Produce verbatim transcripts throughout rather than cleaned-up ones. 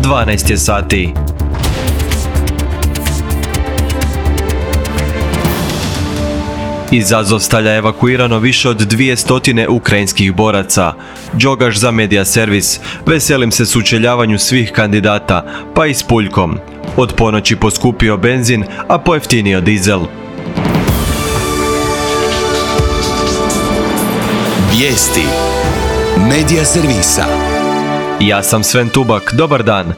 dvanaest je sati. Iz Azovstalja evakuirano više od dvije stotine ukrajinskih boraca. Đogaš za Medija servis. Veselim se sučeljavanju svih kandidata, pa i s Puljkom. Od ponoći poskupio benzin, a pojeftinio dizel. Vijesti Medija servisa. Ja sam Sven Tubak, dobar dan.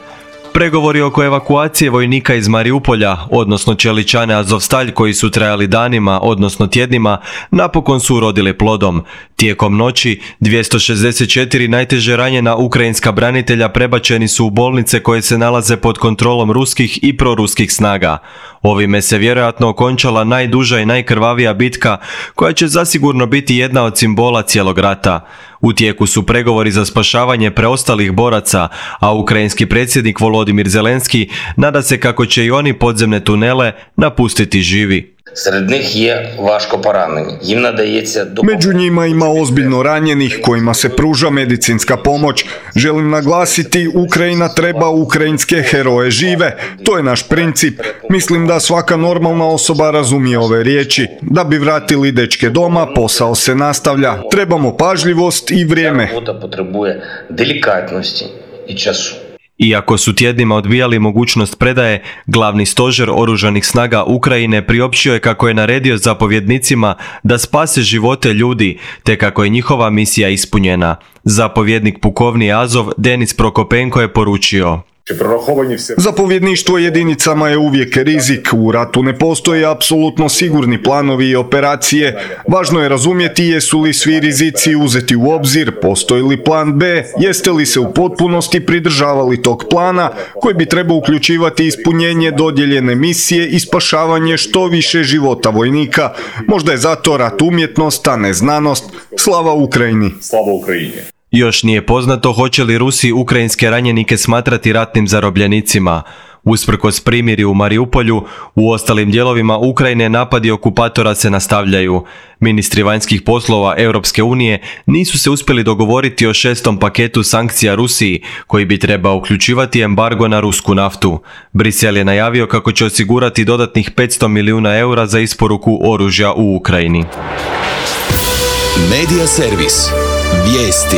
Pregovori oko evakuacije vojnika iz Mariupolja, odnosno Čeličane Azovstalj, koji su trajali danima, odnosno tjednima, napokon su urodili plodom. Tijekom noći, dvjesto šezdeset četiri najteže ranjena ukrajinska branitelja prebačeni su u bolnice koje se nalaze pod kontrolom ruskih i proruskih snaga. Ovime se vjerojatno okončala najduža i najkrvavija bitka, koja će zasigurno biti jedna od simbola cijelog rata. U tijeku su pregovori za spašavanje preostalih boraca, a ukrajinski predsjednik Volodimir Zelenski nada se kako će i oni podzemne tunele napustiti živi. Među njima ima ozbiljno ranjenih kojima se pruža medicinska pomoć. Želim naglasiti, Ukrajina treba ukrajinske heroje žive. To je naš princip. Mislim da svaka normalna osoba razumije ove riječi. Da bi vratili dečke doma, posao se nastavlja. Trebamo pažljivost i vrijeme. Iako su tjednima odbijali mogućnost predaje, glavni stožer oružanih snaga Ukrajine priopćio je kako je naredio zapovjednicima da spase živote ljudi, te kako je njihova misija ispunjena. Zapovjednik pukovnije Azov Denis Prokopenko je poručio: Zapovjedništvo jedinicama je uvijek rizik. U ratu ne postoje apsolutno sigurni planovi i operacije. Važno je razumjeti jesu li svi rizici uzeti u obzir, postoji li plan B, jeste li se u potpunosti pridržavali tog plana koji bi trebao uključivati ispunjenje dodijeljene misije i spašavanje što više života vojnika. Možda je zato rat umjetnost, a ne znanost. Slava Ukrajini! Slava Ukrajini! Još nije poznato hoće li Rusi ukrajinske ranjenike smatrati ratnim zarobljenicima. Usprkos primirju u Mariupolju, u ostalim dijelovima Ukrajine napadi okupatora se nastavljaju. Ministri vanjskih poslova Europske unije nisu se uspjeli dogovoriti o šestom paketu sankcija Rusiji, koji bi trebao uključivati embargo na rusku naftu. Brisel je najavio kako će osigurati dodatnih petsto milijuna eura za isporuku oružja u Ukrajini. Medija servis. Vijesti.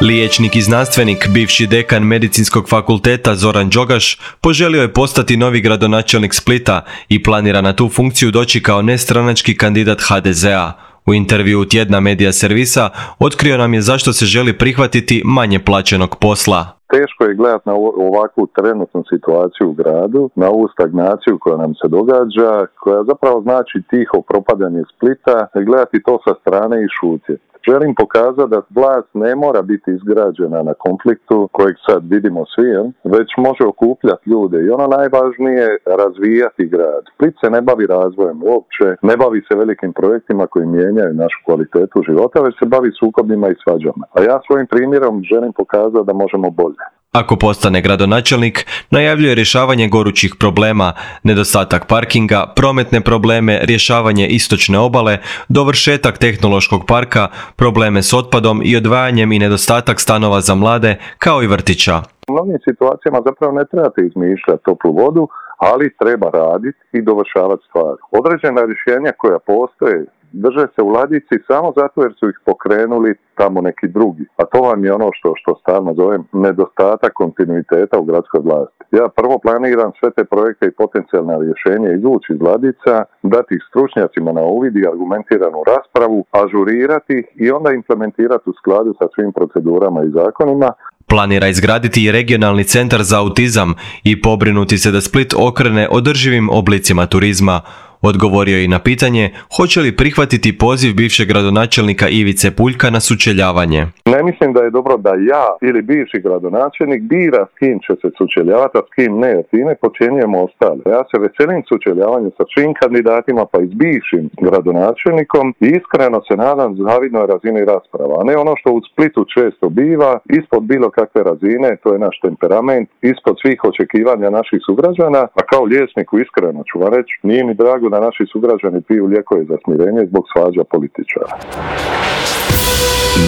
Liječnik i znanstvenik, bivši dekan Medicinskog fakulteta Zoran Đogaš, poželio je postati novi gradonačelnik Splita i planira na tu funkciju doći kao nestranački kandidat ha de zea. U intervjuu tjedna Medija servisa otkrio nam je zašto se želi prihvatiti manje plaćenog posla. Teško je gledati na ovakvu trenutnu situaciju u gradu, na ovu stagnaciju koja nam se događa, koja zapravo znači tiho propadanje Splita, gledati to sa strane i šutjeti. Želim pokazati da vlast ne mora biti izgrađena na konfliktu kojeg sad vidimo svi, već može okupljati ljude i ono najvažnije razvijati grad. Split se ne bavi razvojem uopće, ne bavi se velikim projektima koji mijenjaju našu kvalitetu života, već se bavi sukobima i svađama. A ja svojim primjerom želim pokazati da možemo bolje. Ako postane gradonačelnik, najavljuje rješavanje gorućih problema, nedostatak parkinga, prometne probleme, rješavanje istočne obale, dovršetak tehnološkog parka, probleme s otpadom i odvajanjem i nedostatak stanova za mlade, kao i vrtića. U mnogim situacijama zapravo ne trebate izmišljati toplu vodu, ali treba raditi i dovršavati stvari. Određena rješenja koja postoje drže se u ladici samo zato jer su ih pokrenuli tamo neki drugi. A to vam je ono što, što stalno zovem nedostatak kontinuiteta u gradskoj vlasti. Ja prvo planiram sve te projekte i potencijalna rješenja izvući iz ladica, dati ih stručnjacima na uvid i argumentiranu raspravu, ažurirati ih i onda implementirati u skladu sa svim procedurama i zakonima. Planira izgraditi i regionalni centar za autizam i pobrinuti se da Split okrene održivim oblicima turizma. Odgovorio je i na pitanje hoće li prihvatiti poziv bivšeg gradonačelnika Ivice Puljka na sučeljavanje. Ne mislim da je dobro da ja ili bivši gradonačelnik bira s kim će se sučeljavati, a s kim ne, jer time počinjujemo ostale. Ja se veselim sučeljavanju sa svim kandidatima, pa i s bivšim gradonačelnikom i iskreno se nadam zavidnoj razini rasprava, a ne ono što u Splitu često biva, ispod bilo kakve razine, to je naš temperament, ispod svih očekivanja naših sugrađana, a kao liječniku iskreno ću vam reći, nije mi drago da naši sugrađani piju lijekove za smirenje zbog svađa političara.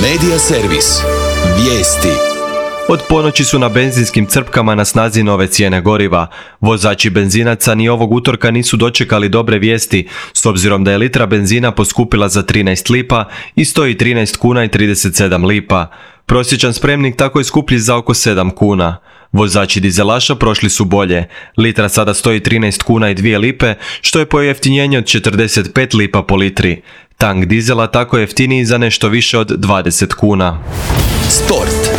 Medija servis. Vijesti. Od ponoći su na benzinskim crpkama na snazi nove cijene goriva. Vozači benzinaca ni ovog utorka nisu dočekali dobre vijesti, s obzirom da je litra benzina poskupila za trinaest lipa i stoji trinaest kuna i trideset sedam lipa. Prosječan spremnik tako je skuplji za oko sedam kuna. Vozači dizelaša prošli su bolje. Litra sada stoji trinaest kuna i dvije lipe, što je pojeftinjenje od četrdeset pet lipa po litri. Tank dizela tako je jeftiniji za nešto više od dvadeset kuna. Sport.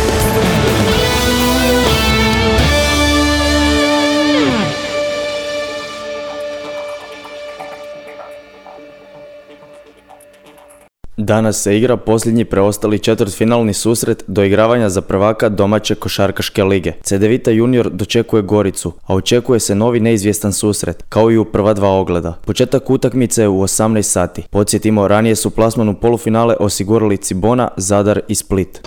Danas se igra posljednji preostali četvrtfinalni susret doigravanja za prvaka domaće košarkaške lige. Cedevita Junior dočekuje Goricu, a očekuje se novi neizvjestan susret, kao i u prva dva ogleda. Početak utakmice je u osamnaest sati. Podsjetimo, ranije su plasman u polufinale osigurali Cibona, Zadar i Split.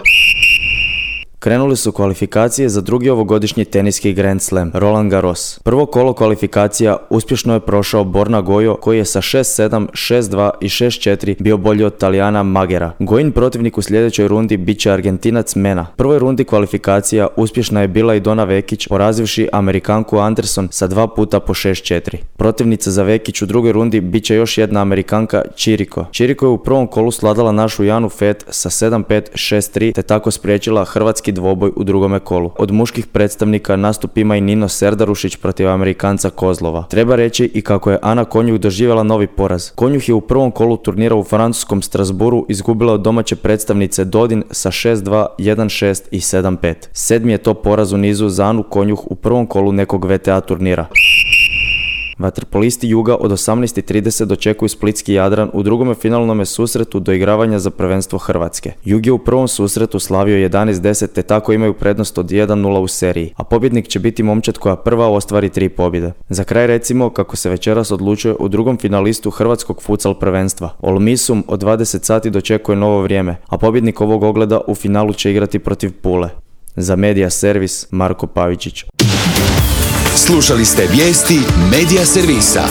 Krenuli su kvalifikacije za drugi ovogodišnji teniski Grand Slam, Roland Garros. Prvo kolo kvalifikacija uspješno je prošao Borna Gojo, koji je sa šest sedam, šest dva i šest četiri bio bolji od Talijana Magera. Gojin protivnik u sljedećoj rundi bit će Argentinac Mena. U prvoj rundi kvalifikacija uspješna je bila i Dona Vekić, porazivši Amerikanku Anderson sa dva puta po šest četiri. Protivnica za Vekić u drugoj rundi bit će još jedna Amerikanka Čiriko. Čiriko je u prvom kolu sladala našu Janu Fet sa sedam pet, šest tri, te tako spriječila hrvatski dvoboj u drugome kolu. Od muških predstavnika nastup ima i Nino Serdarušić protiv Amerikanca Kozlova. Treba reći i kako je Ana Konjuh doživjela novi poraz. Konjuh je u prvom kolu turnira u francuskom Strasbourgu izgubila od domaće predstavnice Dodin sa šest dva, jedan šest i sedam pet. Sedmi je to poraz u nizu za Anu Konjuh u prvom kolu nekog V T A turnira. Vaterpolisti Juga od osamnaest i trideset dočekuju splitski Jadran u drugome finalnome susretu doigravanja za prvenstvo Hrvatske. Jug je u prvom susretu slavio jedanaest deset, te tako imaju prednost od jedan nula u seriji, a pobjednik će biti momčad koja prva ostvari tri pobjede. Za kraj recimo kako se večeras odlučuje u drugom finalistu hrvatskog futsal prvenstva. Olmisum od dvadeset sati dočekuje novo vrijeme, a pobjednik ovog ogleda u finalu će igrati protiv Pule. Za Media Servis, Marko Pavičić. Slušali ste vijesti Media Servisa.